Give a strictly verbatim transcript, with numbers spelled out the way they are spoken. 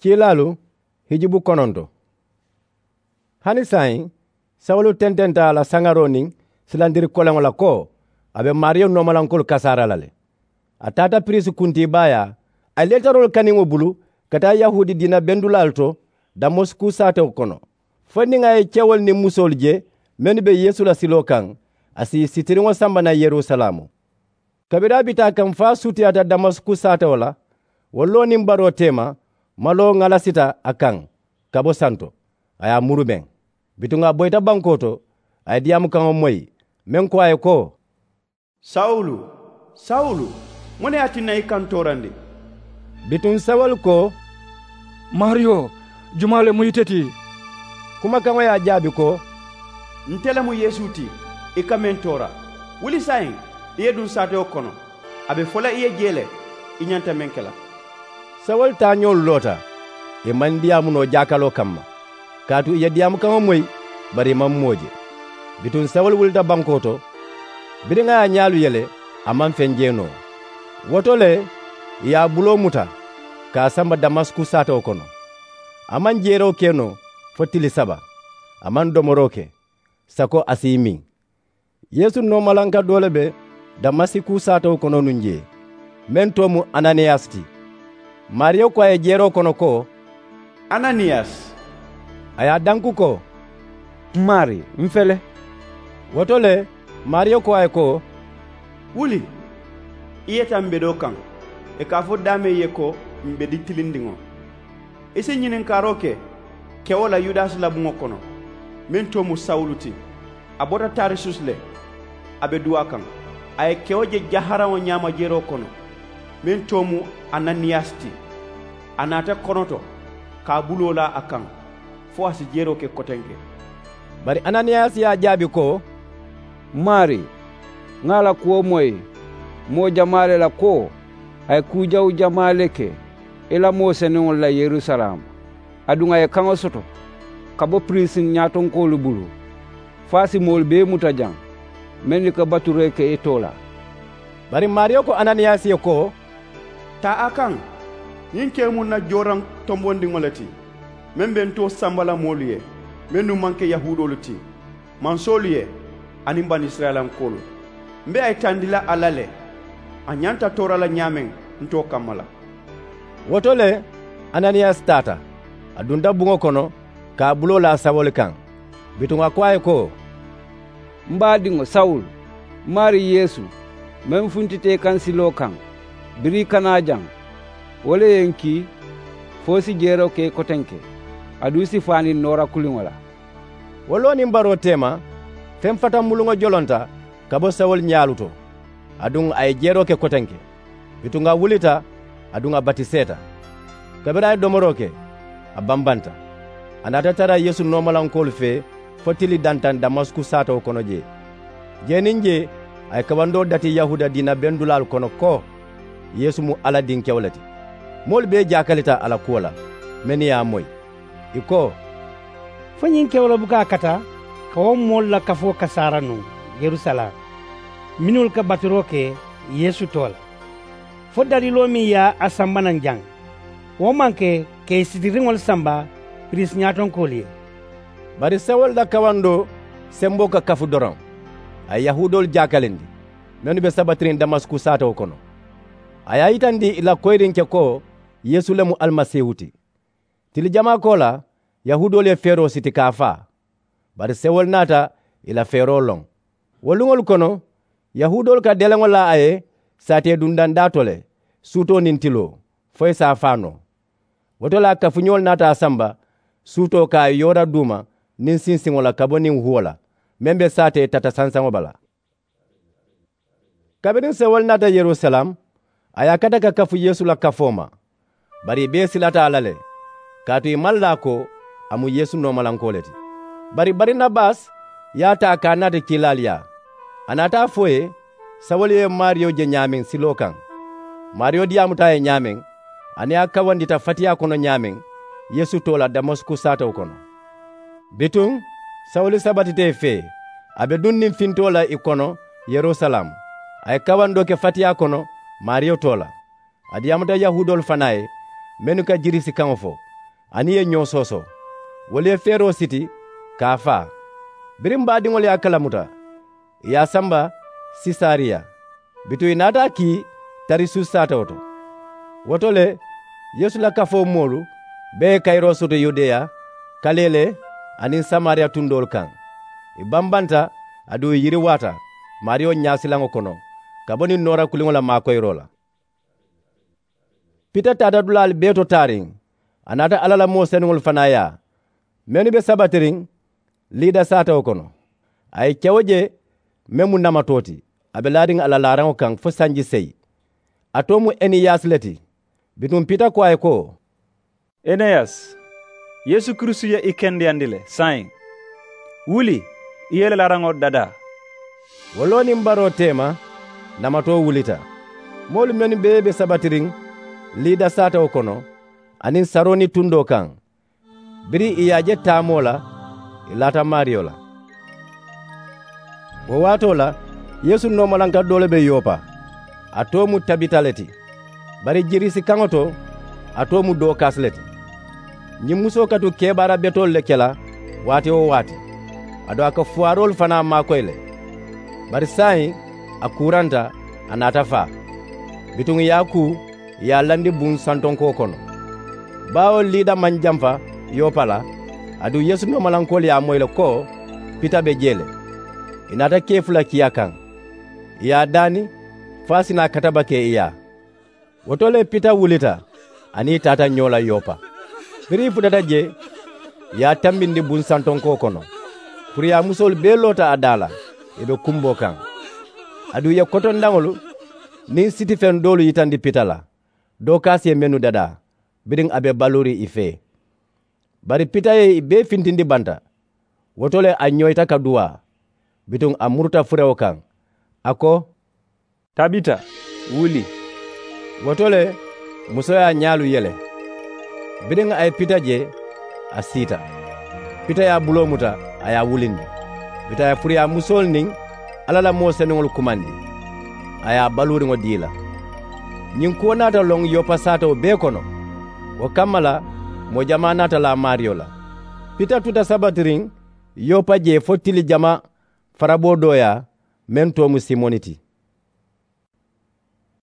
Kiilaalu hijubu kononto. Hani saayiŋ, sawulu tententa a la saŋaroo niŋ silandiri koleŋo la ko a be maariyo noomalankoolu kasaara la le. A taata piriisi kuntiibaayaa, a ye leetaroolu kaniŋo bulu ka taa yahuudi diina bendulaalu to damasiku saatewo kono, fo niŋ a ye kewolu niŋ musoolu je mennu be yeesu la siloo kaŋ, a si ì sitiriŋo samba naŋ yerusalaamu. Kabiriŋ a bi taa kaŋ fo a sutiyaata damasiku saatewo la, wo loo niŋ baroo teema, maloo ŋalasita a kaŋ ka bo santo, a ye a murumeŋ. Bituŋ a boyita bankoo to, a ye diyaamu kaŋo moyi, meŋ ko a ye ko, sawulu, sawulu, muŋ ne ye a tinna i ka n toorandi? Bituŋ sawulu ko, maariyo, jumaa le mu ite ti? Kumakaŋo ye a jaabi ko, nte le mu yeesu ti, i ka meŋ toora. Wuli saayiŋ, i ye duŋ saatewo kono. A be fo la i ye jee le, i ñanta meŋ ke la. Sawulu taañoolu loota, i maŋ diyaamu noo jaakaloo kamma, kaatu i ye diyaamu kaŋo moyi, bari i maŋ moo je. Bituŋ sawulu wulita bankoo to, biriŋ a ye a ñaalu yele, a maŋ feŋ je noo. Wo to le, ì ye a buloo muta ka a samba damasiku saatewo kono. A maŋ jeeroo ke noo fo tili saba. A maŋ domoroo ke sako a si i miŋ. Yeesu noomalanka doo le be damasiku saatewo kono nuŋ jee, meŋ too mu ananiyasi ti. Maariyo ko a ye jeeroo kono ko, ananiyasi. A ye a danku ko, maarii, m̀ fele. Wo to le, maariyo ko a ye ko, wuli, i yeta m̀ bedoo kaŋ, ì ka a fo daameŋ ye ko, m̀ bedi tilindiŋo. I si ñininkaaroo ke kewo la yudasi la buŋo kono, meŋ too mu sawulu ti. A bota tarisus le, a be duwaa kaŋ. A ye kewo je jaharaŋo ñaama jeroo kono, meŋ too mu ananiyasi ti. A naata konoto ka a buloo laa a kaŋ, fo a si jeroo ke kotenke. Bari ananiyasi ye a jaabi ko, maarii, ŋà a la kuwo moyi moo jamaa le la ko a ye kuu jawu jamaa le ke i la moo senuŋolu la yerusalaamu. Aduŋ a ye kaŋo soto ka bo piriisi ñaatonkoolu bulu, fo a si moolu bee muta jaŋ mennu ka baturoo ke i too la. Bari maariyo ko ananiyasi ye ko, taa a kaŋ. Ñiŋ kee mu ǹ na jooraŋ tombondiŋo le ti, meŋ be ǹ too samba la moolu ye mennu maŋ ke yahuudoolu ti, mansoolu ye, aniŋ banisirayilankoolu. M̀ be a yitandi la a la le, a ñanta toora la ñaameŋ ǹ too kamma la. Wo to le, ananiyasi taata, a dunta buŋo kono ka a buloo laa sawulu kaŋ. Bituŋ a ko a ye ko, m̀ baadiŋo sawulu, m̀ maarii yeesu, meŋ funtita i kaŋ siloo kaŋ, biriŋ i kana a jaŋ, wo le ye ǹ kii fo i si jeeroo ke i kotenke, aduŋ i si faani noora kuliŋo la. Wo loo niŋ baroo teema, feŋ fatamuluŋo jolonta ka bo sawulu ñaalu to. Aduŋ a ye jeeroo ke kotenke. Bituŋ a wulita, aduŋ a batiseeta. Kabiriŋ a ye domoroo ke, a bambanta. A naata tara yeesu noomalankoolu fee fo tili dantaŋ damasiku saatewo kono jee. Jee niŋ jee, a ye kawandoo dati yahuuda diina bendulaalu kono ko yeesu mu alla dinkewo le ti. Moolu bee jaakalita a la kuwo la, mennu ye a moyi. Ì ko, fo ñiŋ kewoloo buka a kata ka wo moolu la kafoo kasaara nuŋ yerusalaamu, mennu ka baturoo ke yeesu too la, fo daliiloo meŋ ye a samba naŋ jaŋ, wo maŋ ke ka ì sitiriŋolu samba piriisi ñaatonkoolu ye? Bari sawulu la kawandoo semboo ka kafu doroŋ, a ye yahuudoolu jaakalindi mennu be sabatiriŋ damasiku saatewo kono. A ye a yitandi ì la koyiriŋ ke ko yeesu le mu alimasiihu ti. Tili jamaa koolaa, yahuudoolu ye feeroo siti ka a faa. Bari sewolu naata ì la feeroo loŋ. Wo luŋolu kono, yahuudoolu ka deleŋo laa a ye saatee dundandaa to le, suutoo niŋ tiloo, fo ì si a faa noo. Wo to le a kafuñoolu naata a samba suutoo ka a yoora duuma niŋ sinsiŋo la ka bo niŋ huwo la, meŋ be saatee tata sansaŋo bala. Kabiriŋ sewolu naata yerusalaamu, a ye a kata ka kafu yeesu la kafoo ma. Bari ì bee silata a la le, kaatu ì maŋ laa ko a mu yeesu noomalankoo le ti. Bari barinabasi ye a taa ka a naati kiilaalu yaa. A naata a fo ì ye sawulu ye maariyo je ñaameŋ siloo kaŋ. Maariyo diyaamuta a ye ñaameŋ, aniŋ a kawandita fatiyaa kono ñaameŋ yeesu too la damasiku saatewo kono. Bituŋ sawulu sabatita ì fee, a be duŋ niŋ fintoo la ì kono yerusalaamu. A ye kawandoo ke fatiyaa kono maariyo too la. A diyaamuta yahuudoolu fanaa ye, mennu ka girisi kaŋo fo. aniŋ ì ye ñoo soosoo. Wolu ye feeroo siti ka a faa. Biriŋ baadiŋolu ye a kalamuta, ì ye a samba sisariya. Bituŋ ì naata a kii tarisusi saatewo to. Wo to le, yeesu la kafoo moolu bee ye kayiroo soto yudeya, kalee le, aniŋ samariya tundoolu kaŋ. Ì bambanta, aduŋ ì yiriwaata maariyo ñaasilaŋo kono, ka bo niŋ noora kuliŋo la maakoyiroo la. Pita taata dulaalu bee to taariŋ, a naata alla la moo senuŋolu fanaa yaa, mennu be sabatiriŋ liida saatewo kono. A ye kewo je, meŋ mu namatoo ti, a be laariŋ a la laaraŋo kaŋ fo sanji seyi. A too mu eneyasi le ti. Bituŋ pita ko a ye ko, eneyasi, yeesu kiristu ye i kendeyandi le saayiŋ. Wuli, i ye i la laaraŋo dadaa. Wo loo niŋ baroo teema, namatoo wulita. Moolu mennu bee be sabatiriŋ liida saatewo kono, aniŋ saroni tundoo kaŋ, biriŋ ì ye a je taamoo la, ì laata maariyo la. Wo waatoo la, yeesu noomalanka doo le be yopa. A too mu tabita le ti, bari jiriisi kaŋo to, a too mu dookasi le ti. Ñiŋ musoo ka tu kebaara betoolu le ke la waati-wo-waati, aduŋ a ka fuwaaroolu fanaa maakoyi le. Bari saayiŋ, a kuuranta, a naata faa. Bituŋ ì ye a kuu, ì ye a landi buŋ santonkoo kono. Baawo liida maŋ jamfa yopa la, aduŋ yeesu noomalankoolu ye a moyi le ko pita be jee le. Ì naata kee fula kii a kaŋ, ì ye a daani fo a si naa katabakee ì yaa. Wo to le pita wulita, aniŋ ì taata ñoo la yopa. Biriŋ ì futata jee, ì ye a tambindi buŋ santonkoo kono. Puriyaamusoolu bee loota a daa la, ì be kumboo kaŋ. Aduŋ ì ye kotondaŋolu niŋ sitifeŋ doolu yitandi pita la, dookaasi ye mennu dadaa, biriŋ a be baluuriŋ ì fee. Bari pita ye ì bee fintindi banta. Wo to le a ñoyita ka duwaa, bituŋ a muruta furewo kaŋ, a ko, tabita, wuli. Wo to le, musoo ye a ñaalu yele. Biriŋ a ye pita je, a siita. Pita ye a buloo muta, a ye a wulindi. Pita ye furuyaamusoolu niŋ alla la moo senuŋolu kumandi, a ye a baluuriŋo dii ì la. Ñiŋ kuwo naata loŋ yopa saatewo bee kono. Wo kamma la, moo jamaa naata laa maariyo la. Pita tuta sabatiriŋ yopa jee fo tili jamaa faraboo dooyaa, meŋ too mu simoni ti.